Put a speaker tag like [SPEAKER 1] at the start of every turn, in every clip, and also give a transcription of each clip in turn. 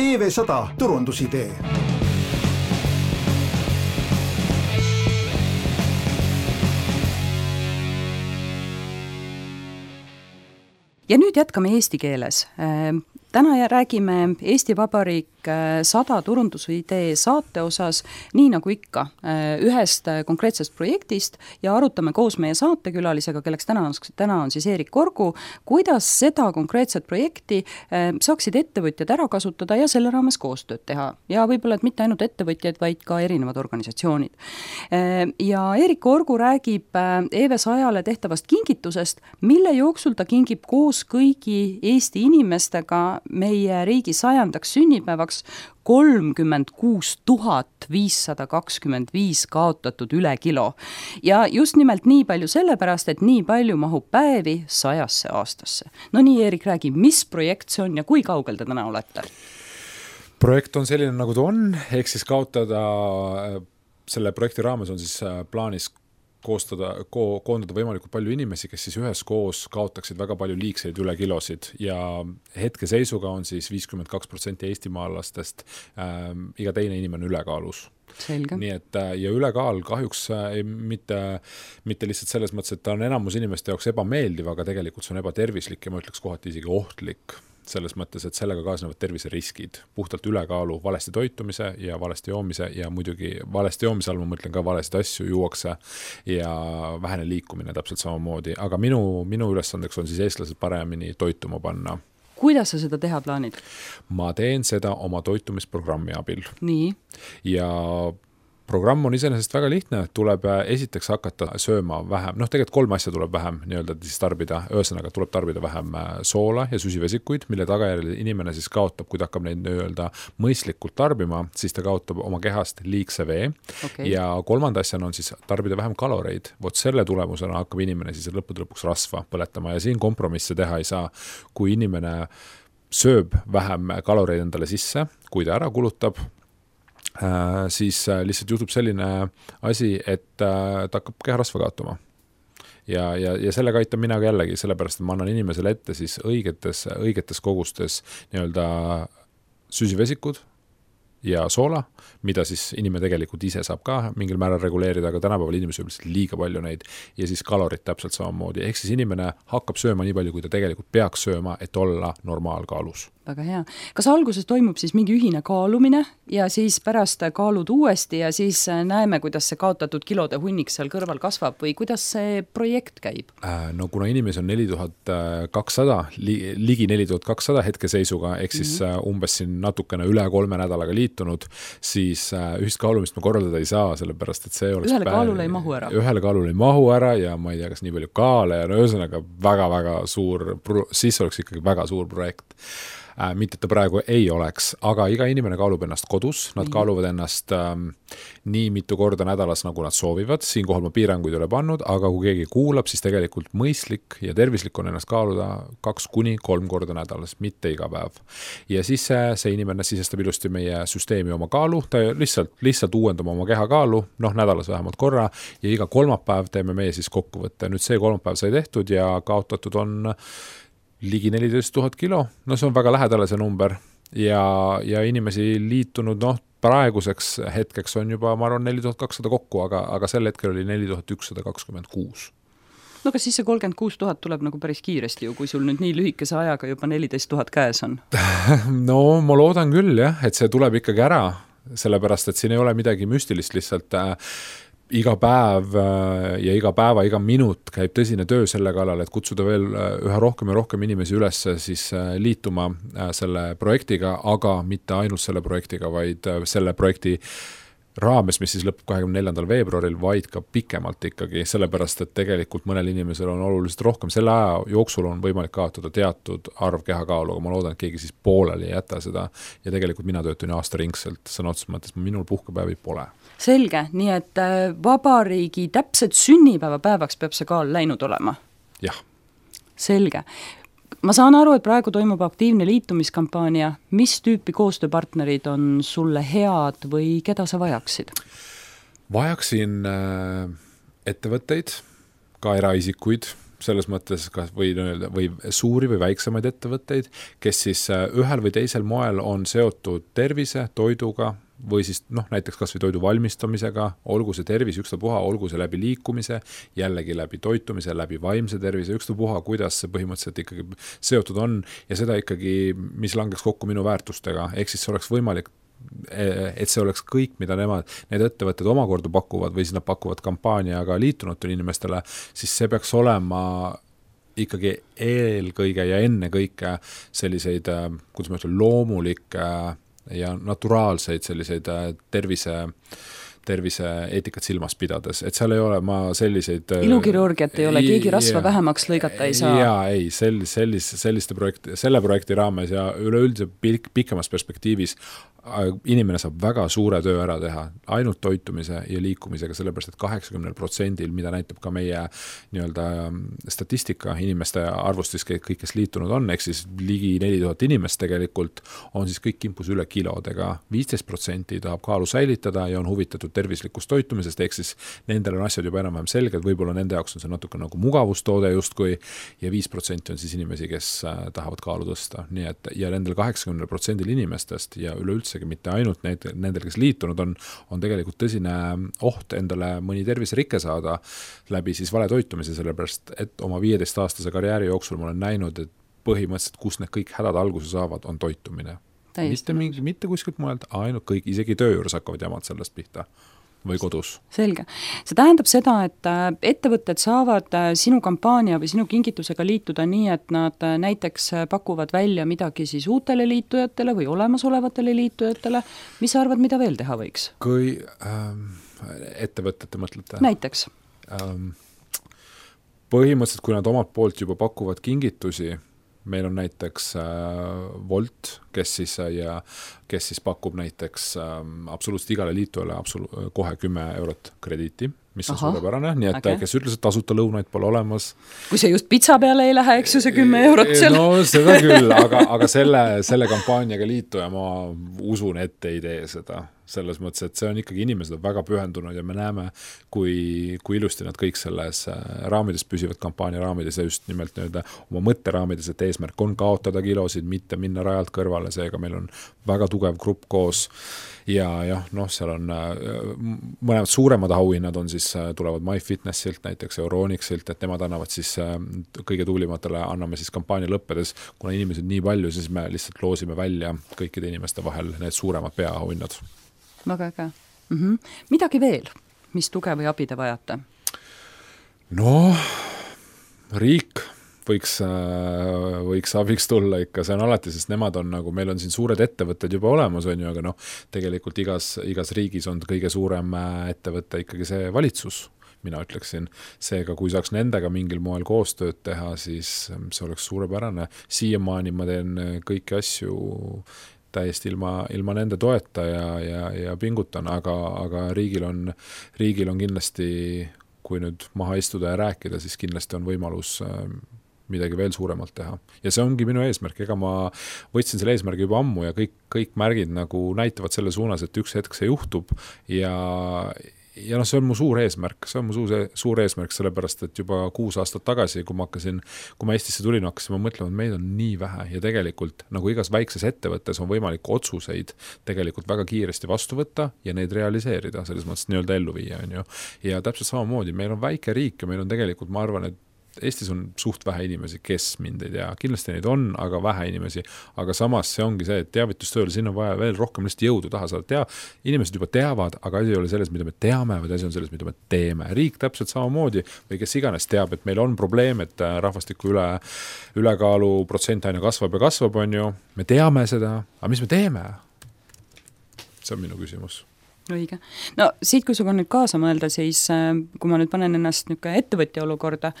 [SPEAKER 1] EV100 turundusidee.
[SPEAKER 2] Ja nüüd jätkame eesti keeles. Täna räägime Eesti Vabariik 100 turundusidee saate osas, nii nagu ikka, ühest konkreetsest projektist ja arutame koos meie saatekülalisega, kelleks täna on siis Eerik Korgu, kuidas seda konkreetset projekti saaksid ettevõtjad ära kasutada ja selle raames koostööd teha. Ja võib-olla, et mitte ainult ettevõtjad, vaid ka erinevad organisatsioonid. Ja Eerik Korgu räägib EV100-le tehtavast kingitusest, mille jooksul ta kingib koos kõigi Eesti inimestega meie riigi 100. sünnipäevaks 36 525 kaotatud üle kilo. Ja just nimelt nii palju sellepärast, et nii palju mahub päevi 100 aastasse. No nii, Eerik, räägi, mis projekt see on ja kui kaugel te täna olete?
[SPEAKER 3] Projekt on selline, nagu ta on, ehk siis kaotada, selle projekti raames on siis plaanis koondada võimalikult palju inimesi, kes siis üheskoos kaotaksid väga palju liigseid üle kilosid ja hetke seisuga on siis 52% eestimaalastest iga teine inimene ülekaalus.
[SPEAKER 2] Selge.
[SPEAKER 3] Nii et, ja ülekaal kahjuks mitte lihtsalt selles mõttes, et ta on enamus inimeste jaoks ebameeldiv, aga tegelikult see on ebatervislik ja ma ütleks kohati isegi ohtlik. Selles mõttes, et sellega kaasnevad terviseriskid, puhtalt ülekaalu, valesti toitumise ja valesti joomise ja muidugi valesti joomise all ma mõtlen ka valesti asju juuakse ja vähene liikumine täpselt samamoodi, aga minu ülesandeks on siis eestlased paremini toituma panna.
[SPEAKER 2] Kuidas sa seda teha plaanid?
[SPEAKER 3] Ma teen seda oma toitumisprogrammi abil.
[SPEAKER 2] Nii.
[SPEAKER 3] Ja programm on iseenesest väga lihtne, tuleb esiteks hakata sööma vähem, tegelikult 3 asja tuleb vähem siis tarbida, ühesõnaga tuleb tarbida vähem soola ja süsivesikuid, mille tagajärjel inimene siis kaotab, kui ta hakkab neid mõistlikult tarbima, siis ta kaotab oma kehast liigse vee ja 3. asjana on siis tarbida vähem kaloreid. Vot selle tulemusena hakkab inimene siis lõpuks rasva põletama ja siin kompromisse teha ei saa, kui inimene sööb vähem kaloreid endale sisse, kui ta ära kulutab, siis lihtsalt juhtub selline asi, et ta hakkab keharasva kaotama. Ja sellega aitab mina ka jällegi, sellepärast, et ma annan inimesele ette siis õigetes kogustes süsivesikud ja soola, mida siis inimene tegelikult ise saab ka mingil määral reguleerida, aga tänapäeval inimesed sööb liiga palju neid ja siis kalorid täpselt samamoodi. Ehk siis inimene hakkab sööma nii palju, kui ta tegelikult peaks sööma, et olla normaalkaalus.
[SPEAKER 2] Väga hea. Kas alguses toimub siis mingi ühine kaalumine ja siis pärast kaalud uuesti ja siis näeme, kuidas see kaotatud kilode hunnik seal kõrval kasvab või kuidas see projekt käib?
[SPEAKER 3] No kuna inimesi on 4200, ligi 4200 hetkeseisuga, ehk siis umbes siin natukene üle 3 nädalaga liitunud, siis ühist kaalumist ma korraldada ei saa, sellepärast, et see oleks...
[SPEAKER 2] Ühele kaalule ei mahu ära.
[SPEAKER 3] Ühele kaalule ei mahu ära ja ma ei tea, kas nii palju kaale ja ühesõnaga väga-väga suur, siis oleks ikkagi väga suur projekt. Mitte, et ta praegu ei oleks, aga iga inimene kaalub ennast kodus, nad kaaluvad ennast nii mitu korda nädalas, nagu nad soovivad, siinkohal ma piiranguid ei ole pannud, aga kui keegi kuulab, siis tegelikult mõistlik ja tervislik on ennast kaaluda 2-3 korda nädalas, mitte iga päev. Ja siis see inimene sisestab ilusti meie süsteemi oma kaalu, ta lihtsalt uuendab oma kehakaalu, nädalas vähemalt korra ja iga kolmapäev teeme meie siis kokkuvõtte. Nüüd see kolmapäev sai tehtud ja kaotatud on ligi 14 000 kilo, see on väga lähedale see number ja inimesi liitunud, praeguseks hetkeks on juba, ma arvan, 4200 kokku, aga sel hetkel oli 4126.
[SPEAKER 2] No kas siis see 36 000 tuleb nagu päris kiiresti ju, kui sul nüüd nii lühikese ajaga juba 14 000 käes on?
[SPEAKER 3] No ma loodan küll jah, et see tuleb ikkagi ära, sellepärast, et siin ei ole midagi müstilist, lihtsalt iga päev ja iga päeva, iga minut käib tõsine töö selle kallal, et kutsuda veel üha rohkem ja rohkem inimesi üles siis liituma selle projektiga, aga mitte ainult selle projektiga, vaid selle projekti raames, mis siis lõpeb 24. veebruaril, vaid ka pikemalt ikkagi, sellepärast, et tegelikult mõnel inimesel on oluliselt rohkem. Selle aja jooksul on võimalik kaotada teatud arv kehakaalu, aga ma loodan, et keegi siis pooleli ei jäta seda ja tegelikult mina töötan aastaringselt, sõna otseses mõttes, minul puhkepäevi pole.
[SPEAKER 2] Selge, nii et vabariigi täpselt sünnipäevapäevaks peab see kaal läinud olema?
[SPEAKER 3] Jah.
[SPEAKER 2] Selge. Ma saan aru, et praegu toimub aktiivne liitumiskampaania. Mis tüüpi koostööpartnerid on sulle head või keda sa vajaksid?
[SPEAKER 3] Vajaksin ettevõtteid, ka eraisikuid, selles mõttes kas või suuri või väiksemaid ettevõtteid, kes siis ühel või teisel moel on seotud tervise, toiduga või siis näiteks kas või toidu valmistamisega, olgu see tervis ükstapuha, olgu see läbi liikumise, jällegi läbi toitumise, läbi vaimse tervise, ükstapuha, kuidas see põhimõtteliselt ikkagi seotud on ja seda ikkagi, mis langeks kokku minu väärtustega, ehk siis see oleks võimalik, et see oleks kõik, mida need ettevõtted omakorda pakuvad või siis nad pakuvad kampaaniaga liitunutele inimestele, siis see peaks olema ikkagi eelkõige ja ennekõike selliseid, kuidas ma ütlen, loomulikke ja naturaalseid selliseid tervise eetikat silmas pidades, et seal ei ole ma selliseid
[SPEAKER 2] ilukirurgiat ei ole, keegi rasva vähemaks lõigata ei saa.
[SPEAKER 3] Jaa, ei, selle projekti raames ja üleüldse pikemas perspektiivis inimene saab väga suure töö ära teha ainult toitumise ja liikumisega, sellepärast et 80%, mida näitab ka meie nii-öelda statistika inimeste arvust, siis kõik, kes liitunud on, ehk siis ligi 4000 inimest tegelikult, on siis kõik kimpus üle kilodega. 15% tahab kaalu säilitada ja on huvitatud tervislikust toitumisest, ehk siis nendel on asjad juba enam-vähem selged, võib-olla nende jaoks on see natuke nagu mugavustoode justkui ja 5% on siis inimesi, kes tahavad kaalu tõsta. Nii et, ja nendel 80% inimestest ja üleüldse mitte ainult nendel, kes liitunud on tegelikult tõsine oht endale mõni terviserikke saada läbi siis vale toitumise, sellepärast et oma 15-aastase karjääri jooksul ma olen näinud, et põhimõtteliselt, kus need kõik hädad alguse saavad, on toitumine. Mitte kuskilt mujalt, ainult kõik, isegi töö juures hakkavad jamad sellest pihta või kodus.
[SPEAKER 2] Selge. See tähendab seda, et ettevõtted saavad sinu kampaania või sinu kingitusega liituda nii, et nad näiteks pakuvad välja midagi siis uutele liitujatele või olemasolevatele liitujatele. Mis sa arvad, mida veel teha võiks?
[SPEAKER 3] Kui ettevõtete mõtlete?
[SPEAKER 2] Näiteks.
[SPEAKER 3] Põhimõtteliselt, kui nad omalt poolt juba pakuvad kingitusi, meil on näiteks Volt, kes siis pakub näiteks absoluutselt igale liitujale kohe 10 eurot krediiti, mis on suurepärane, nii et kes ütles, et tasuta lõunaid pole olemas.
[SPEAKER 2] Kui see just pitsa peale ei lähe, eks ju see 10 eurot seal.
[SPEAKER 3] No seda küll, aga selle kampaaniaga liituja ma usun, et ei tee seda. Selles mõttes, et see on ikkagi inimesed on väga pühendunud ja me näeme, kui ilusti nad kõik selles raamides püsivad, kampaania raamides ja just nimelt oma mõtteraamides, et eesmärk on kaotada kilosid, mitte minna rajalt kõrvale, seega meil on väga tugev grupp koos ja seal on mõlemad suuremad auhinnad on siis, tulevad MyFitnessilt, näiteks Euronixilt, et nemad annavad siis kõige tuulimatele, anname siis kampaania lõppedes, kuna inimesed nii palju, siis me lihtsalt loosime välja kõikide inimeste vahel need suuremad peaauhinnad.
[SPEAKER 2] Väga äge. Midagi veel, mis tuge või abi te vajate?
[SPEAKER 3] Riik võiks abiks tulla ikka, see on alati, sest nemad on nagu, meil on siin suured ettevõtted juba olemas, on ju, aga tegelikult igas riigis on kõige suurem ettevõte ikkagi see valitsus, mina ütleksin. Seega, kui saaks nendega mingil moel koostööd teha, siis see oleks suurepärane. Siiamaani ma teen kõiki asju täiesti ilma nende toeta ja pingutan, aga riigil on kindlasti, kui nüüd maha istuda ja rääkida, siis kindlasti on võimalus midagi veel suuremalt teha. Ja see ongi minu eesmärk, ega ma võtsin selle eesmärgi juba ammu ja kõik märgid nagu näitavad selle suunas, et üks hetk see juhtub ja see on mu suur eesmärk, sellepärast, et juba 6 aastat tagasi, kui ma Eestisse tulin, hakkasin ma mõtlema, et meid on nii vähe ja tegelikult nagu igas väikses ettevõttes on võimalik otsuseid tegelikult väga kiiresti vastu võtta ja neid realiseerida, selles mõttes nii-öelda ellu viia, on ju. Ja täpselt samamoodi, meil on väike riik ja meil on tegelikult, ma arvan, et Eestis on suht vähe inimesi, kes mind ei tea. Kindlasti neid on, aga vähe inimesi. Aga samas see ongi see, et teavitustööle siin on vaja veel rohkem lihtsalt jõudu taha saada. Inimesed juba teavad, aga asi ei ole selles, mida me teame, vaid asi on selles, mida me teeme. Riik täpselt samamoodi või kes iganes teab, et meil on probleem, et rahvastiku ülekaalu protsent aina kasvab ja kasvab, on ju. Me teame seda, aga mis me teeme? See on minu küsimus.
[SPEAKER 2] Õige. No siit, kui suga nüüd kaasa mõelda, siis kui ma nüüd panen ennast ettevõtja olukorda,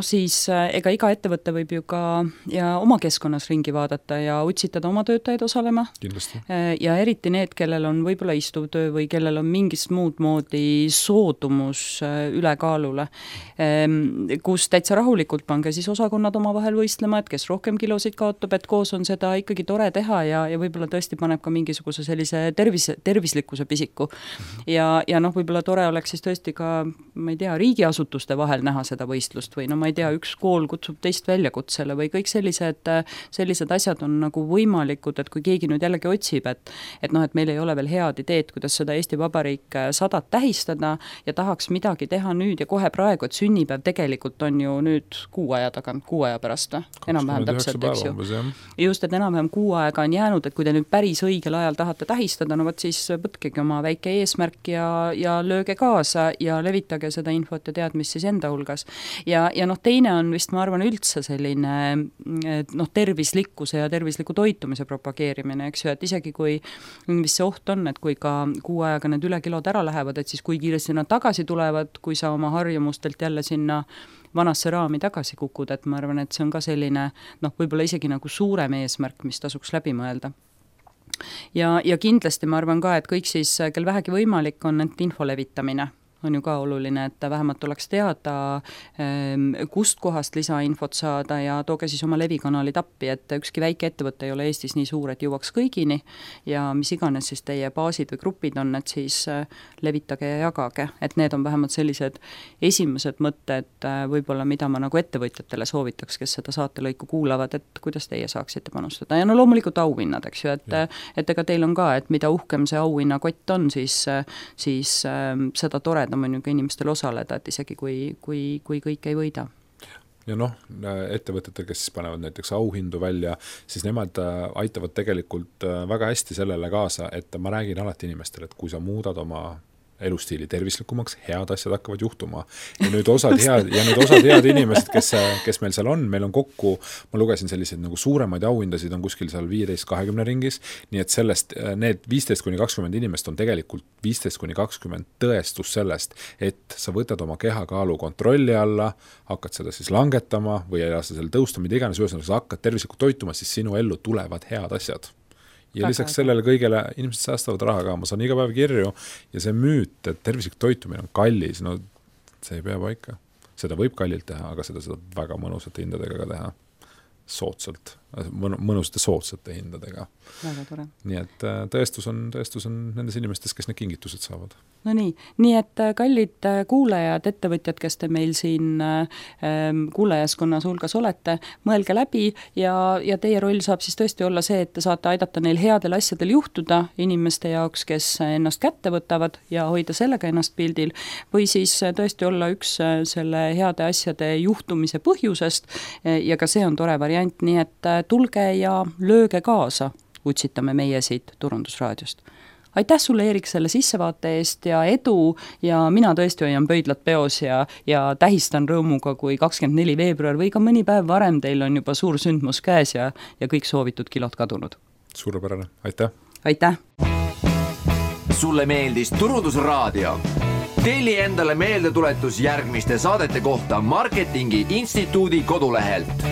[SPEAKER 2] siis ega iga ettevõte võib ju ka ja oma keskkonnas ringi vaadata ja utsitada oma töötajaid osalema.
[SPEAKER 3] Kindlasti.
[SPEAKER 2] Ja eriti need, kellel on võib-olla istuv töö või kellel on mingist muud moodi soodumus ülekaalule, kus täitsa rahulikult pange siis osakonnad oma vahel võistlema, et kes rohkem kilosid kaotab, et koos on seda ikkagi tore teha ja võib-olla tõesti paneb ka mingisuguse sellise tervislikkuse pisiku. Ja võib-olla tore oleks siis tõesti ka, ma ei tea, riigiasutuste vahel näha seda võistlust või no ma ei tea, üks kool kutsub teist väljakutsele või kõik sellised asjad on nagu võimalikud, et kui keegi nüüd jällegi otsib, et meil ei ole veel head ideed, kuidas seda Eesti Vabariik 100 tähistada ja tahaks midagi teha nüüd ja kohe praegu, et sünnipäev tegelikult on ju nüüd kuu aja pärast, enam-vähem täpselt, eks ju. Just, et enam-vähem kuu aega on jäänud, et kui te nüüd päris õigel ajal tahate tähistada, no võt siis võtkegi oma väike eesmärk ja lööge kaasa ja levitage seda infot ja teadmist siis enda hulgas. Ja teine on vist, ma arvan, üldse selline tervislikkuse ja tervisliku toitumise propageerimine, eks ju, et isegi kui mis see oht on, et kui ka kuu ajaga need ülekilod ära lähevad, et siis kui kiiresti nad tagasi tulevad, kui sa oma harjumustelt jälle sinna vanasse raami tagasi kukud, et ma arvan, et see on ka selline, võib-olla isegi nagu suurem eesmärk, mis tasuks läbi mõelda. Ja kindlasti ma arvan ka, et kõik siis, kel vähegi võimalik on, et info levitamine on ju ka oluline, et vähemalt oleks teada, kust kohast lisainfot saada ja tooge siis oma levikanalid appi, et ükski väike ettevõte ei ole Eestis nii suur, et jõuaks kõigini ja mis iganes siis teie baasid või grupid on, et siis levitage ja jagage, et need on vähemalt sellised esimesed mõtted võib-olla, mida ma nagu ettevõtjatele soovitaks, kes seda saatelõiku kuulavad, et kuidas teie saaksite panustada ja loomulikult auhinnad, eks ju, et ega teil on ka, et mida uhkem see auhinnakott on, siis seda toredam on ju ka inimestel osaleda, et isegi kui kõik ei võida.
[SPEAKER 3] Ja ettevõtetel, kes siis panevad näiteks auhindu välja, siis nemad aitavad tegelikult väga hästi sellele kaasa, et ma räägin alati inimestele, et kui sa muudad oma elustiili tervislikumaks, head asjad hakkavad juhtuma. Ja nüüd osad head inimesed, kes meil seal on, meil on kokku, ma lugesin selliseid nagu suuremaid auhindasid on kuskil seal 15-20 ringis, nii et sellest need 15-20 inimest on tegelikult 15-20 tõestus sellest, et sa võtad oma kehakaalu kontrolli alla, hakkad seda siis langetama või ei lasta selle tõusta, mida iganes, sa hakkad tervislikult toituma, siis sinu ellu tulevad head asjad. Ja lisaks sellele kõigele inimesed säästavad raha ka, ma saan iga päev kirju ja see müüt, et tervislik toitumine on kallis, see ei pea paika. Seda võib kallilt teha, aga seda väga mõnusate hindadega ka teha. Soodsalt, mõnusate soodsate hindadega.
[SPEAKER 2] Väga tore.
[SPEAKER 3] Nii et tõestus on nendes inimestes, kes need kingitused saavad.
[SPEAKER 2] No nii et kallid kuulajad, ettevõtjad, kes te meil siin kuulajaskonnas hulgas olete, mõelge läbi ja teie roll saab siis tõesti olla see, et te saate aidata neil headel asjadel juhtuda inimeste jaoks, kes ennast kätte võtavad ja hoida sellega ennast pildil, või siis tõesti olla üks selle heade asjade juhtumise põhjusest ja ka see on tore variant, nii et tulge ja lööge kaasa, utsitame meie siit Turundusraadiost. Aitäh sulle, Eerik, selle sissevaate eest ja edu ja mina tõesti hoian pöidlad peos ja tähistan rõõmuga, kui 24 veebruar või ka mõni päev varem teil on juba suur sündmus käes ja kõik soovitud kilod kadunud.
[SPEAKER 3] Suurepärane, aitäh!
[SPEAKER 2] Aitäh!
[SPEAKER 4] Sulle meeldis Turundusraadio? Telli endale meeldetuletus järgmiste saadete kohta Marketingi Instituudi kodulehelt.